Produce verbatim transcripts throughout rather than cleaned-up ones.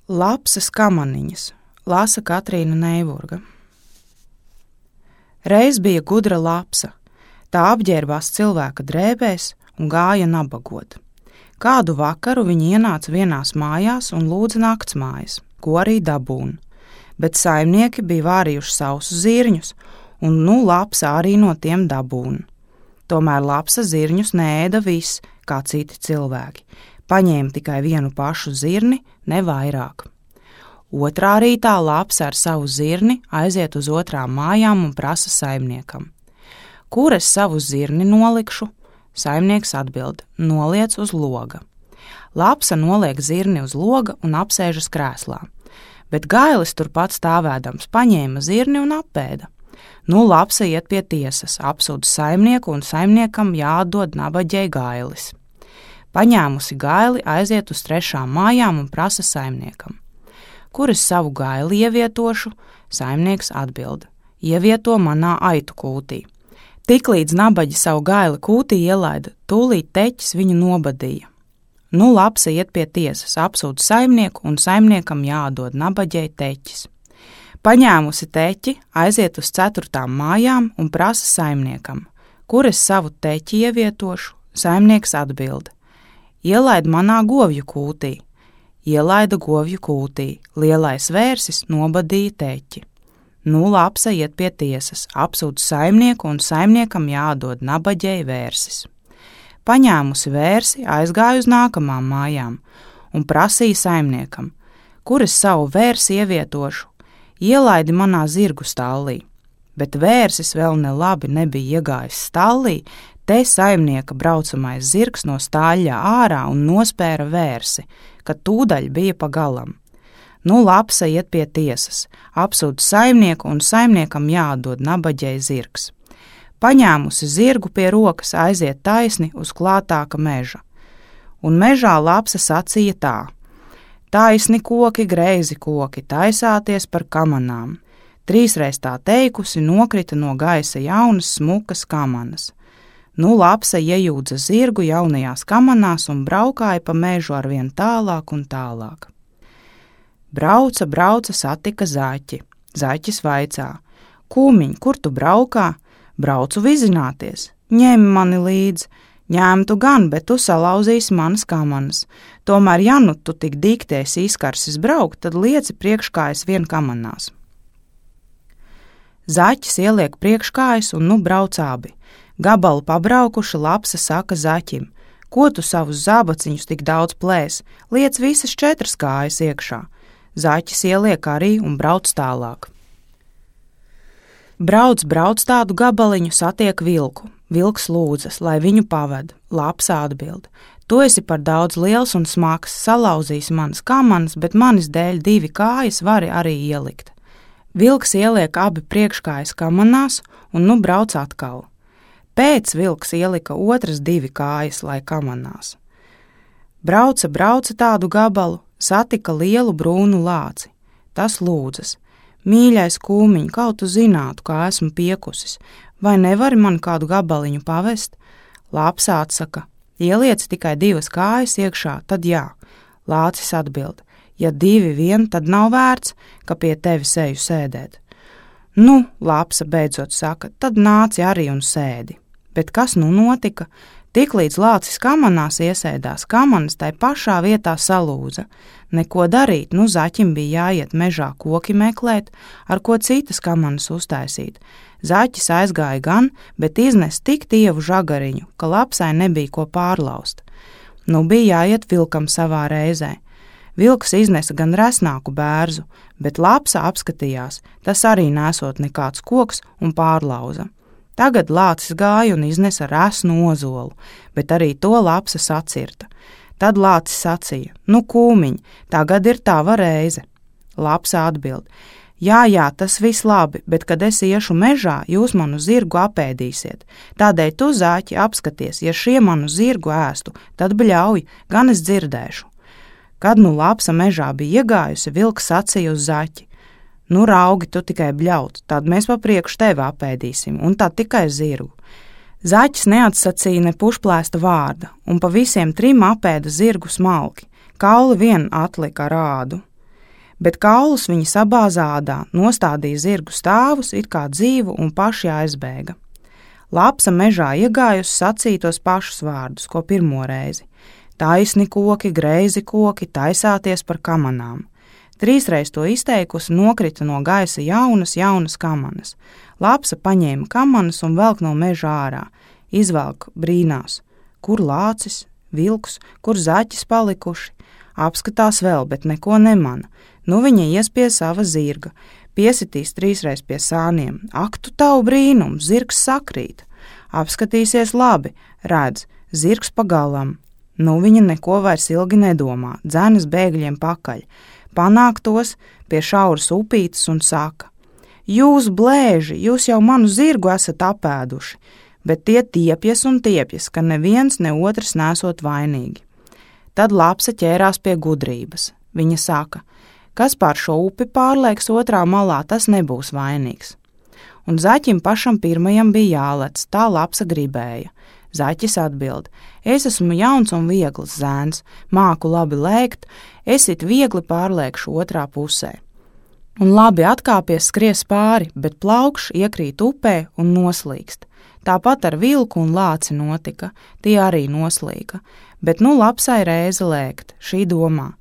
Lapsas kamaniņas, lasa Katrīna Neiburga. Reiz bija gudra lapsa, tā apģērbās cilvēka drēbēs un gāja nabagot. Kādu vakaru viņa ienāca vienās mājās un lūdza naktsmājas, ko arī dabūna, bet saimnieki bija vārījuši sausus zirņus, un nu lapsa arī no tiem dabūna. Tomēr lapsa zirņus neēda viss, kā citi cilvēki, paņēma tikai vienu pašu zirni, ne vairāk. Otrā rītā lapsa ar savu zirni aiziet uz otrām mājām un prasa saimniekam. Kur es savu zirni nolikšu? Saimnieks atbild, noliec uz loga. Lapsa noliek zirni uz loga un apsēžas krēslā, bet gailis turpat stāvēdams paņēma zirni un apēda. Nu lapsa iet pie tiesas, apsūdz saimnieku un saimniekam jāatdod nabaģei gailis. Paņēmusi gaili aiziet uz trešām mājām un prasa saimniekam. Kur es savu gaili ievietošu? Saimnieks atbild, ievieto manā aitu kūtī. Tiklīdz nabaģi savu gaili kūtī ielaida, tūlīt teķis viņu nobadīja. Nu lapsa iet pie tiesas, apsūdz saimnieku un saimniekam jāatdod nabaģei teķis. Paņēmusi teķi, aiziet uz ceturtām mājām un prasa saimniekam. Kur es savu teķi ievietošu? Saimnieks atbild, ielaid manā govju kūtī. Ielaida govju kūtī, lielais vērsis nobadīja teķi. Nu lapsa iet pie tiesas, apsūdz saimnieku un saimniekam jāatdod nabaģei vērsis. Paņēmusi vērsi, aizgāja uz nākamām mājām un prasīja saimniekam, kur es savu vērsi ievietošu, ielaidi manā zirgu stallī. Bet vērsis vēl ne labi nebija iegājis stallī, te saimnieka braucamais zirgs no stāļļa ārā un nospēra vērsi, kad tūdaļ bija pa galam. Nu lapsa iet pie tiesas, apsūdz saimnieku un saimniekam jāatdod nabaģei zirgs. Paņēmusi zirgu pie rokas aiziet taisni uz klātāka meža. Un mežā lapsa sacīja tā: taisni koki, greizi koki, taisāties par kamanām. Trīsreiz tā teikusi, nokrita no gaisa jaunas smukas kamanas. Nu lapsa iejūdza zirgu jaunajās kamanās un braukāja pa mežu arvien tālāk un tālāk. Brauca, brauca, satika zaķi. Zaķis vaicā: kūmiņ, kur tu braukā? Braucu vizināties. Ņem mani līdz. Ņemtu gan, bet tu salauzīsi manas kamanas. Tomēr, ja nu tu tik dikties izkarsis braukt, tad lieci priekškājas vien kamanās. Zaķis ieliek priekškājas un nu brauc abi. Gabalu pabraukuši, lapsa saka zaķim: ko tu savus zābaciņus tik daudz plēs? Liec visas četras kājas iekšā. Zaķis ieliek arī un brauc tālāk. Brauc, brauc tādu gabaliņu, satiek vilku. Vilks lūdzas, lai viņu paved. Lapsa atbild: tu esi par daudz liels un smags, salauzīs manas kamanas, bet manis dēļ divi kājas vari arī ielikt. Vilks ieliek abi priekškājas kamanās un nu brauc atkal. Pēc vilks ielika otras divi kājas, lai kamanās. Brauca, brauca tādu gabalu, satika lielu brūnu lāci. Tas lūdzas: mīļais kūmiņ, kaut tu zinātu, kā esmu piekusis, vai nevari man kādu gabaliņu pavest? Lapsa atsaka: ieliec tikai divas kājas iekšā, tad jā. Lācis atbild: ja divi vien, tad nav vērts, ka pie tevis eju sēdēt. Nu, lapsa beidzot saka, tad nāci arī un sēdi. Bet kas nu notika? Tiklīdz lācis kamanās iesēdās, kamanas tai pašā vietā salūza. Neko darīt, nu zaķim bija jāiet mežā koki meklēt, ar ko citas kamanas uztaisīt. Zaķis aizgāja gan, bet iznes tik tievu žagariņu, ka lapsai nebija ko pārlaust. Nu bija jāiet vilkam savā reizē. Vilks iznesa gan resnāku bērzu, bet lapsa apskatījās, tas arī nesot nekāds koks un pārlauza. Tagad lācis gāja un iznesa resnu ozolu, bet arī to lapsa sacirta. Tad lācis sacīja: nu kūmiņ, tagad ir tava reize. Lapsa atbild: jā, jā, tas viss labi, bet kad es iešu mežā, jūs manu zirgu apēdīsiet. Tādēļ tu, zaķi, apskaties, ja šie manu zirgu ēstu, tad bļauj, gan es dzirdēšu. Kad nu lapsa mežā bija iegājusi, vilks sacīja uz zaķi: nu raugi, tu tikai bļaut, tad mēs pa priekšu tevi apēdīsim, un tad tikai zirgu. Zaķis neatsacīja ne pušplēsta vārda, un pa visiem trim apēda zirgu smalki, kauli vien atlika ar ādu. Bet kaulus viņi sabāza ādā, nostādīja zirgu stāvus, it kā dzīvu, un paši aizbēga. Lapsa mežā iegājusi sacīja tos pašus vārdus, ko pirmo reizi. Taisni koki, greizi koki, taisāties par kamanām. Trīsreiz to izteikusi, nokrita no gaisa jaunas, jaunas kamanas. Lapsa paņēma kamanas un velk no meža ārā. Izvelk brīnās, kur lācis, vilks, kur zaķis palikuši. Apskatās vēl, bet neko nemana. Nu viņa ies pie sava zirga, piesitīs trīsreiz pie sāniem. Ak, tu tavu brīnumu, zirgs sakrīt. Apskatīsies labi, redz, zirgs pagalam. Nu viņa neko vairs ilgi nedomā, dzenas bēgļiem pakaļ. Panāk tos pie šauras upītes un saka: Jūs blēži, jūs jau manu zirgu esat apēduši, bet tie tiepjas un tiepjas, ka neviens ne otrs nesot vainīgi. Tad lapsa ķērās pie gudrības. Viņa saka: kas pār šo upi pārlēks otrā malā, tas nebūs vainīgs. Un zaķim pašam pirmajam bija jālec, tā lapsa gribēja. Zaķis atbild: es esmu jauns un viegls zēns, māku labi lēkt, es it viegli pārlēkšu otrā pusē. Un labi atkāpies skries pāri, bet plaukšs iekrīt upē un noslīkst. Tāpat ar vilku un lāci notika, tie arī noslīka, bet nu lapsai reize lēkt, šī domā: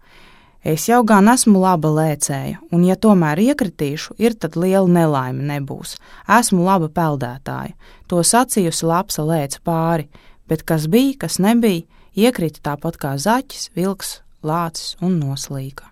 es jau gan esmu laba lēcēja, un ja tomēr iekritīšu, ir tad liela nelaime nebūs. Esmu laba peldētāja. To sacījusi lapsa lēca pāri, bet kas bija, kas nebija, iekrita tāpat kā zaķis, vilks, lācis un noslīka.